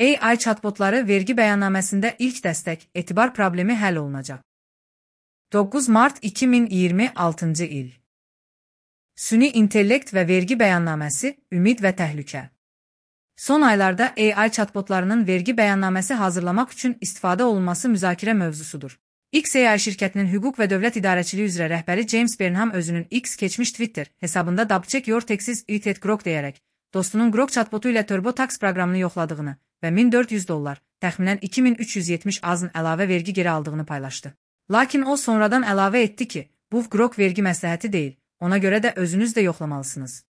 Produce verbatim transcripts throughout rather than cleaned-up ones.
A I chatbotları vergi bəyannaməsində ilk dəstək, etibar problemi həll olunacaq. doqquz mart iki min iyirmi altıncı il. Süni intellekt və vergi bəyannaməsi, ümid və təhlükə. Son aylarda A I chatbotlarının vergi bəyannaməsi hazırlamaq üçün istifadə olunması müzakirə mövzusudur. X A I şirkətinin hüquq və dövlət idarəçiliyi üzrə rəhbəri James Burnham özünün X keçmiş Twitter hesabında double-check your taxes it Grok deyərək, dostunun Grok chatbotu ilə TurboTax proqramını yoxladığını və min dörd yüz dollar, təxminən iki min üç yüz yetmiş azın əlavə vergi geri aldığını paylaşdı. Lakin o sonradan əlavə etdi ki, bu Grok vergi məsləhəti deyil, ona görə də özünüz də yoxlamalısınız.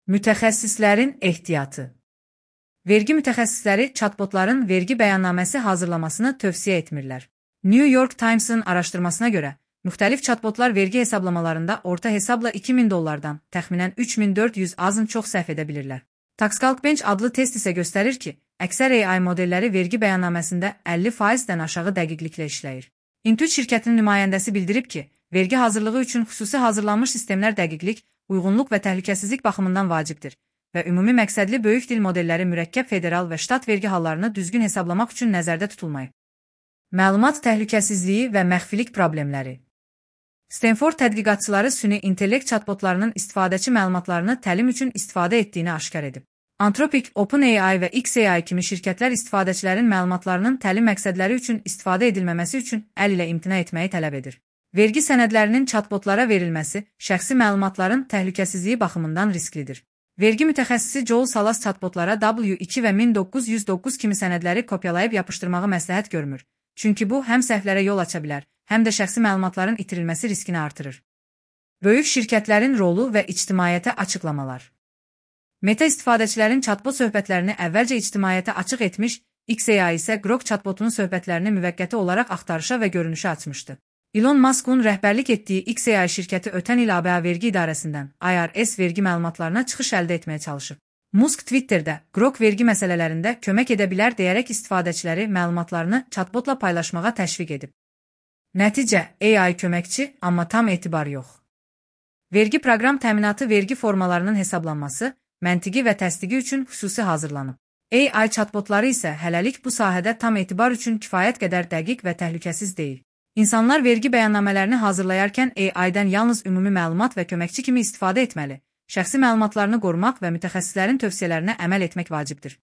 Mütəxəssislərin ehtiyatı. Vergi mütəxəssisləri chatbotların vergi bəyannaməsi hazırlamasını tövsiyə etmirlər. New York Times'ın araşdırmasına görə, müxtəlif chatbotlar vergi hesablamalarında orta hesabla iki min dollardan təxminən üç min dörd yüz azın çox səhv edə bilirlər. TaxCalc adlı test isə göstərir ki, əksər A I modelləri vergi bəyannaməsində əlli faizdən aşağı dəqiqliklə işləyir. Intuit şirkətinin nümayəndəsi bildirib ki, vergi hazırlığı üçün xüsusi hazırlanmış sistemlər dəqiqlik, uyğunluq və təhlükəsizlik baxımından vacibdir və ümumi məqsədli böyük dil modelləri mürəkkəb federal və ştat vergi hallarını düzgün hesablamaq üçün nəzərdə tutulmayıb. Məlumat təhlükəsizliyi və məxfilik problemləri. Stanford tədqiqatçıları süni intellekt chatbotlarının istifadəçi məlumatlarını təlim üçün istifadə etdiyini aşkar edib. Anthropic, OpenAI və X A I kimi şirkətlər istifadəçilərin məlumatlarının təlim məqsədləri üçün istifadə edilməməsi üçün əl ilə imtina etməyi tələb edir. Vergi sənədlərinin chatbotlara verilməsi şəxsi məlumatların təhlükəsizliyi baxımından risklidir. Vergi mütəxəssisi Joel Salas chatbotlara W iki və min doqquz yüz doqquz kimi sənədləri kopyalayıb yapışdırmağı məsləhət görmür. Çünki bu, həm səhvlərə yol aça bilər, həm də şəxsi məlumatların itirilməsi riskini artırır. Böyük şirkətlərin rolu və ictimaiyyətə açıqlamalar. Meta istifadəçilərin chatbot söhbətlərini əvvəlcə ictimaiyyətə açıq etmiş, X A I isə Grok chatbotunun söhbətlərini müvəqqəti olaraq axtarışa və görünüşə açmışdı. Elon Musk'un rəhbərlik etdiyi X A I şirkəti ötən il A B A vergi idarəsindən I R S vergi məlumatlarına çıxış əldə etməyə çalışıb. Musk Twitterdə Grok vergi məsələlərində kömək edə bilər deyərək istifadəçiləri məlumatlarını chatbotla paylaşmağa təşviq edib. Nəticə, A I köməkçi, amma tam etibar yox. Vergi proqram təminatı vergi formalarının hesablanması, məntiqi və təsdiqi üçün xüsusi hazırlanıb. A I chatbotları isə hələlik bu sahədə tam etibar üçün kifayət qədər dəqiq və təhlükəsiz deyil. İnsanlar vergi bəyannamələrini hazırlayarkən A I-dən yalnız ümumi məlumat və köməkçi kimi istifadə etməli, şəxsi məlumatlarını qorumaq və mütəxəssislərin tövsiyələrinə əməl etmək vacibdir.